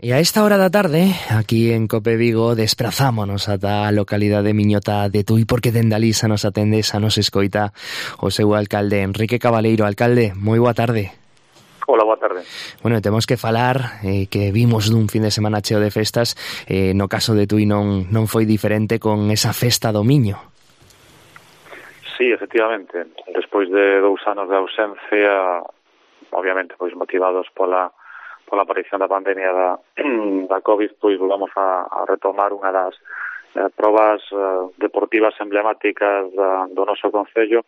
E a esta hora da tarde, aquí en Cope Vigo, desprazámonos ata a localidade miñota de Tui, porque dende alí xa nos atende, xa nos escoita o seu alcalde, Enrique Cabaleiro. Alcalde, moi boa tarde. Hola, boa tarde. Bueno, temos que falar que vimos dun fin de semana cheo de festas. No caso de Tui non foi diferente con esa festa do Miño. Sí, efectivamente. Despois de 2 anos de ausencia, obviamente, pois motivados pola aparición da pandemia da COVID, pois volvamos a retomar unha das probas deportivas emblemáticas do noso concello,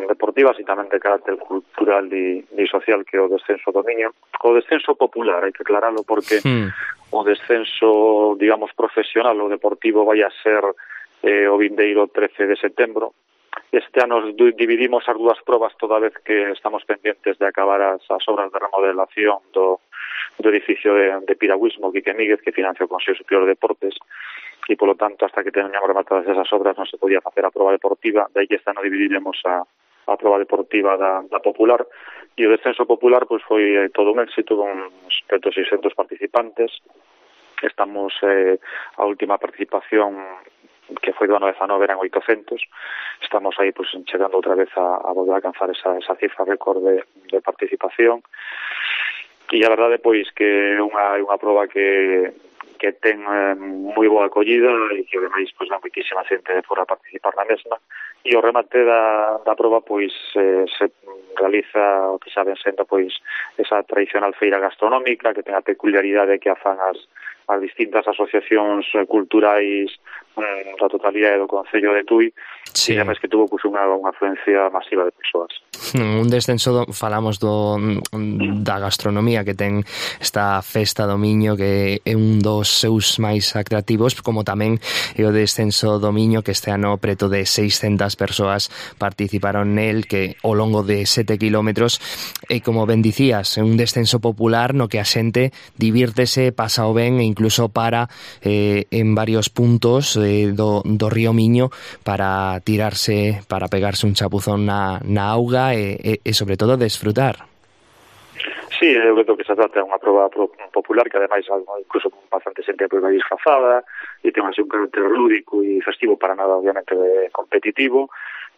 deportivas e tamén de carácter cultural e social, que é o descenso do Miño. O descenso popular, hai que aclararlo, porque o descenso, digamos, profesional ou deportivo vai a ser o vindeiro 13 de setembro. Este ano dividimos as dúas probas, toda vez que estamos pendientes de acabar as obras de remodelación do edificio de piragüismo Quique Míguez, que financia o Consello Superior de Deportes, e, polo tanto, hasta que teñamos rematadas esas obras non se podía facer a proba deportiva. De aí que este ano dividiremos a proba deportiva da popular, e o descenso popular pois foi todo un éxito, con uns 600 participantes. Estamos a última participación, que foi do ano 19, eran 800. Estamos aí pois chegando outra vez a volver a alcanzar esa cifra récord de participación. E a verdade pois que é unha proba que ten moi boa acollida e que ademais pois dá moitísima xente de fora a participar na mesma. E o remate da proba pois se realiza o que saben sendo pois esa tradicional feira gastronómica, que ten a peculiaridade que a fan as distintas asociacións culturais da totalidade do Concello de Tui. Sí. E ademais que tuvo pois unha afluencia masiva de persoas. Un descenso, falamos da gastronomía que ten esta festa do Miño, que é un dos seus máis atractivos, como tamén é o descenso do Miño, que este ano preto de 600 persoas participaron nel, que ao longo de 7 kilómetros, e como ben dicías, é un descenso popular no que a xente divírtese, pasa o ben, e incluso para en varios puntos do río Miño para tirarse, para pegarse un chapuzón na auga e sobre todo desfrutar. Sí, eu creo que se trata de unha proba popular que ademais incluso bastante xente vai disfrazada e ten así un carácter lúdico e festivo, para nada obviamente competitivo,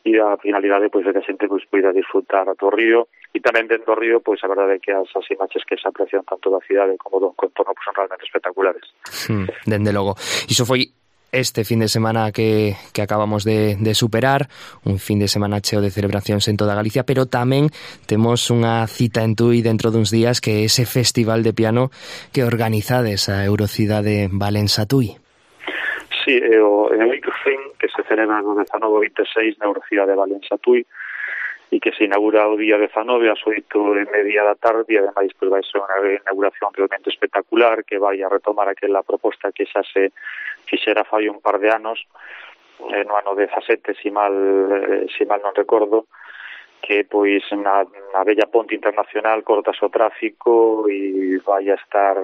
e a finalidade pois de que a xente pois poida disfrutar do río, e tamén dentro do río pois a verdade é que as imaxes que se aprecian tanto da cidade como do contorno pois son realmente espectaculares. Dende logo. Iso foi este fin de semana que acabamos de superar, un fin de semana cheo de celebracións en toda Galicia, pero tamén temos unha cita en Tui dentro duns días, que é ese festival de piano que organizades a Eurocidade Valença Tui. Sí, é o Icofin, que se celebra no 19-26 na Eurocidade Valença Tui, e que se inaugura o día 19 ás 8:30 da tarde, e ademais pois vai ser unha inauguración realmente espectacular, que vai a retomar aquela proposta que xa se fixera fai un par de anos, no ano 17, si mal non recordo, que pois na bella ponte internacional cortas o tráfico e vai a estar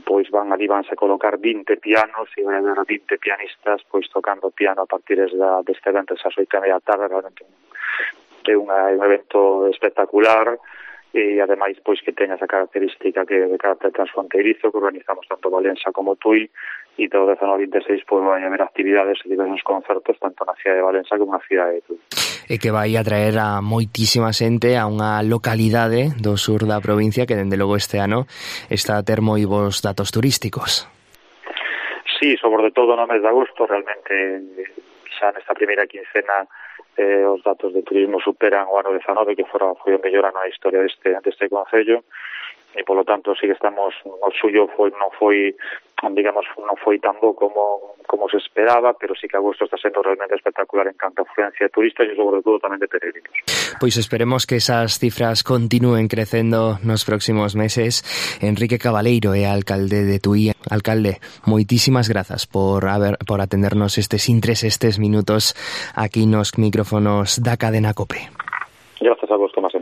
pois vanse a colocar 20 pianos e vai haber 20 pianistas pois tocando piano a partir deste evento ás 8:30 da tarde. Realmente é un evento espectacular, e ademais pois que ten esa característica que de carácter transfronteirizo, que organizamos tanto Valença como Tui, e todo 19-26 pois vai haber actividades e diversos concertos tanto na cidade de Valença como na cidade de Tui. E que vai atraer a moitísima xente a unha localidade do sur da provincia que dende logo este ano está a ter moi bons datos turísticos. Sí, sobre todo no mes de agosto, realmente xa nesta primeira quincena os datos de turismo superan o ano 19, que foi o mellor ano na historia deste concello, e polo tanto sí que estamos, o suyo non foi tan bo como se esperaba, pero sí que agosto está sendo realmente espectacular en canto a afluencia de turistas e sobre todo tamén de peregrinos. Pois esperemos que esas cifras continúen crecendo nos próximos meses. Enrique Cabaleiro é alcalde de Tui. Alcalde, moitísimas grazas por atendernos estes minutos aquí nos micrófonos da cadena COPE. Grazas a vos, Tomás.